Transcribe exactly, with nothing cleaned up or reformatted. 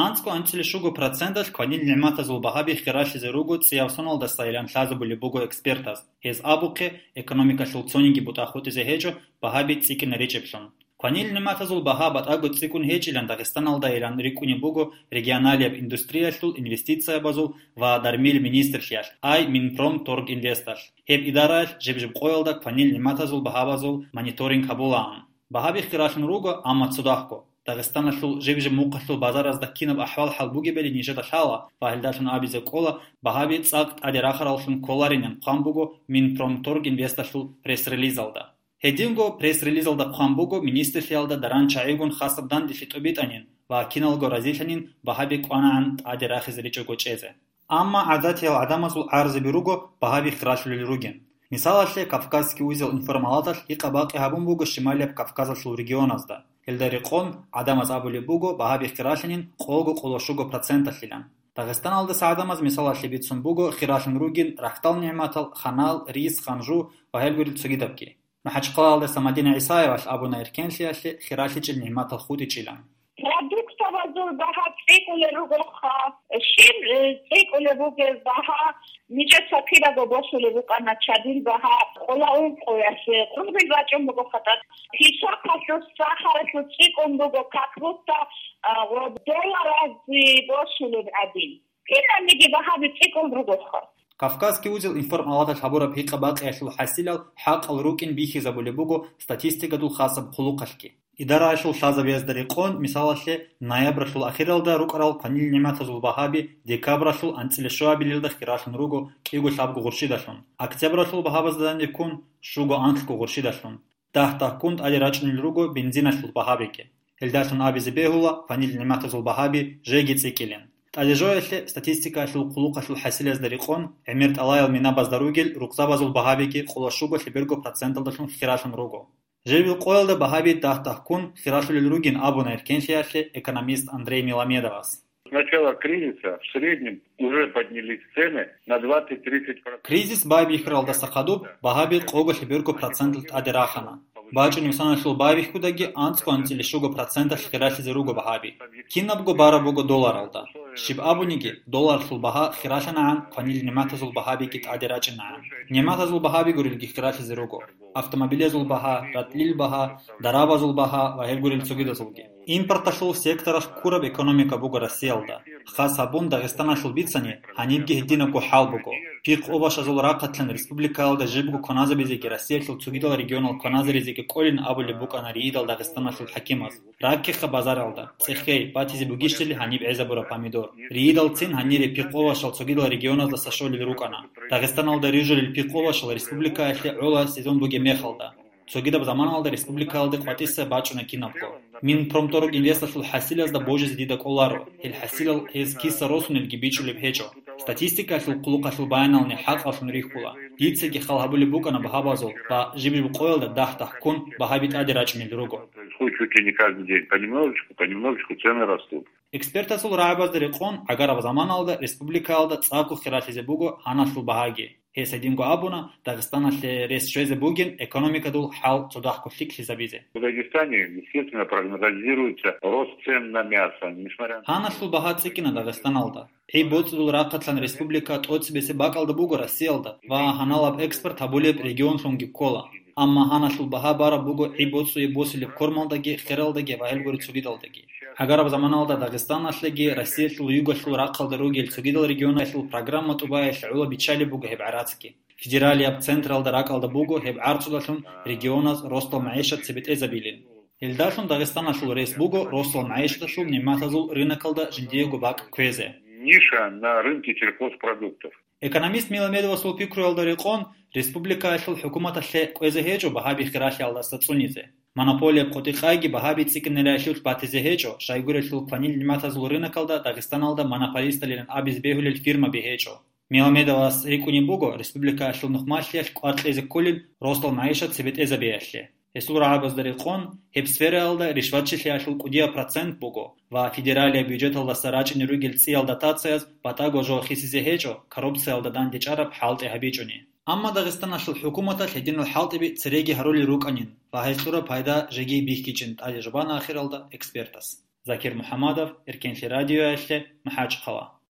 АнцӀго анцӀила щуго проценталъ кванил нигӀматазул багьаби хиралъизе руго цӀияв соналдасайилан лъазабулеб буго экспертаз. Гьез абухъе, экономикалъул цониги бутӀа хутӀизе гьечӀо, багьаби цӀикӀкӀине ричӀеблъун. Кванил нигӀматазул багьа батӀаго цӀикӀкӀун гьечӀилан Дагъистаналдайилан рикӀкӀунеб буго регионалияб индустриялъул, инвестициябазул ва дармил министрлъиялъ, ай Минпромторгинвесталъ. Гьеб идараялъ жиб-жиб къоялда кванил нигӀматазул багьабазул мониторинг гьабулаан. Багьаби хиралъун руго, амма цо дагьго. Дагъистаналъул жиб-жиб мухъалъул базаразда кинаб ахӀвал-хӀал бугебали нижеда лъала ва гьелдалъун абизе кӀола, багьаби цӀакъ тӀаде рахараллъун кколаринин хъван буго Минпромторгинвесталъул пресс-релизалда. Гьединго пресс-релизалда хъван буго министрлъиялда даран чагӀигун хасаб данделъи тӀубитӀанин ва киналго разилъанин багьаби кӀванагӀан тӀаде рахизе ричӀого чӀезе. Амма гӀадатиял гӀадамазул гӀарзаби руго багьаби хиралъулел ругин. Мисалалъе, Кавказский узел информалаталъ гьикъа-бакъи гьабун буго Шималияб Кавказалъул регионазда. Гьелда рекъон гӀадамаз абулеб буго багьаби хиралъанин къого-къоло щуго проценталъилан. Дагъистаналдаса гӀадамаз мисалалъе бицун буго хиралъун ругин рахьдал нигӀматал, ханал, рис, ханжу ва гьелгурил цогидабги. МахӀачхъалаялдаса Мадина ГӀисаевалъ абуна эркенлъиялъе хиралъичӀел нигӀматал хутӀичӀилан. Продуктовазул багьа цӀикӀкӀулел ругоха, щиб, э, цӀикӀкӀулеб бугеб багьа, нижеца кидаго босулеб букӀана чадил багьа, къола ункъоялъе къулгъи бачӀун буго хатӀа. Песокалъул, сахаралъул цӀикӀкӀун буго, как будто, а, гъо-, долларазе босулеб гӀадин. Кинабниги багьаби цӀикӀкӀун ругоха. Кавказский узел информалаталъ гьабураб гьикъа-бакъиялъул хӀасилал хӀакъал рукӀин бихьизабулеб буго статистикадул хасаб хъулухъалъги. Идараялъул лъазабиязда рекъон, мисалалъе, ноябралъул ахиралда рукӀарал кванил нигӀматазул багьаби декабралъул анцӀила щуабилелда хиралъун руго кӀиго лъабго гъурщидалъун, октябралъул багьабазда данде ккун щуго анлъго гъурщидалъун. Дагь-дагьккун тӀаде рачӀунел руго бензиналъул багьабиги. Гьелдалъун абизе бегьула кванил нигӀматазул багьаби жеги цӀикӀкӀилин. ТӀадежоялъе статистикаялъул хъулухъалъул хӀасилазда рекъон, гӀемер тӀалаял минабазда ругел рукъзабазул багьабиги къоло щуго лъеберго проценталдалъун хиралъун руго. Жибил къоялда багьаби дагь-дагьккун хиралъулел ругин абуна эркенлъиялъе экономист Андрей Миламедовас. С начала кризиса в среднем уже поднялись цены на двадцать-тридцать процентов. Кризис байбихьаралдаса хадуб багьаби къого лъеберго проценталъ тӀаде рахана. БачӀунеб соналъул байбихьудаги анцӀго анцӀила щуго проценталъ хиралъизе руго багьаби. Кинабго бараб буго долларалда. Щиб абуниги, долларлъул багьа хиралъанагӀан кванил нигӀматазул багьабиги тӀаде рачӀинагӀан. НигӀматазул багьаби гурелги хиралъизе руго. Автомобилазул багьа, ратӀлил багьа, дарабазул багьа ва гьеб гурел цогидазулги. Импорталъул секторалъ ккураб экономика буго Россиялда. Хас гьабун Дагъистаналъул бицани, гьанибги гьединабго хӀал буго. Пихъ-овощазул рахъалъан республикаялда жибго кваназабизеги Россиялъул цогидал регионал кваназаризеги кӀолин абулеб букӀана риидал Дагъистаналъул хӀакимаз. Раккеха базаралда, цӀехей, батизе бугищали гьаниб гӀезабураб помидор. Риидалцин гьанире пихъ-овощал цогидал регионаздаса щолел рукӀана. Дагъистаналда рижулел пихъ-овощал республикаялъе гӀола сезон бугеб мехалда. Цогидаб заманалда республикаялде къватӀиса бачӀуна кинабго. Минпромторгинвесталъул хӀасилазда божизе дида кӀоларо, гьел хӀасилал гьез киса росунелги бичӀчӀулеб гьечӀо. Статистикаялъул хъулухъалъул баянални хӀакъалъун рихьула. Дицаги хал гьабулеб букӀана багьабазул ва жиб-жиб къоялда дагь-дагьккун багьаби тӀаде рачӀунел руго. Происходит чуть ли не каждый день. Понемножечку, понемножечку цены растут. Экспертазул рагӀабазда рекъон, гӀагараб заманалда республикаялда цӀакъго хиралъизе буго гьаналъул багьаги. Гьес гьединго абуна, Дагъистаналъе рес щвезе бугин экономикадул хӀал цодахъго лъикӀлъизабизе. В Дагестане, естественно, прогнозируется рост цен на мясо, несмотря на... Гьаналъул багьа цӀикӀкӀина Дагъистаналда. ГӀи-боцӀудул рахъалъан республика тӀоцебесеб бакӀалда буго Россиялда ва гьаналаб экспорт гьабулеб регионлъунги ккола. Амма гьаналъул багьа бараб буго гӀи-боцӀуе босулеб кормалдаги, хералдаги ва гьелгури цогидалдаги. ГӀагараб заманалда Дагъистаналъеги Россиялъул югалъул рахъалда ругел цогидал регионалъул программа тӀубаялъе гӀоло биччалеб буго гьеб гӀарацги. Федералияб централда ракӀалда буго гьеб гӀарцудалъун регионаз ростал магӀишат цебетӀезабилин. Гьелдалъун Дагъистаналъул рес буго росал магӀишаталъул нигӀматазул рынокалда жиндиего бакӀ кквезе. Ниша на рынке сельхозпродуктов. Экономист Миламедовасул пикруялда рекъон, республикаялъул хӀукуматалъе кӀвезе гьечӀо багьаби хиралъиялдаса цӀунизе. Монополияб къотӀи-къайги багьаби цӀикӀкӀинаралъулъ батизе гьечӀо, щайгурелъул кванил нигӀматазул рынокалда Дагъистаналда монополисталилан абизе бегьулел фирмаби гьечӀо. Миламедовас рикӀкӀунеб буго республикаялъул нухмалъиялъ кӀвар кьезе кколин росдал магӀишат цебетӀезабиялъе. Гьесул рагӀабазда рекъон, гьеб сфераялда ришватчилъиялъул кӀудияб процент буго ва федералияб бюджеталдаса рачӀине ругел цӀиял дотацияз батӀаго жо хисизе гьечӀо, коррупциялда дандечӀараб хӀалтӀи гьабичӀони. Амма Дагъистаналъул хӀукуматалъ гьединал хӀалтӀиби цереги гьарулел рукӀанин ва гьез кьураб пайда жеги бихьичӀин тӀаде жубана ахиралда экспертас. Закир МухӀамадов, Эркенлъи радиоялъе, МахӀачхъала.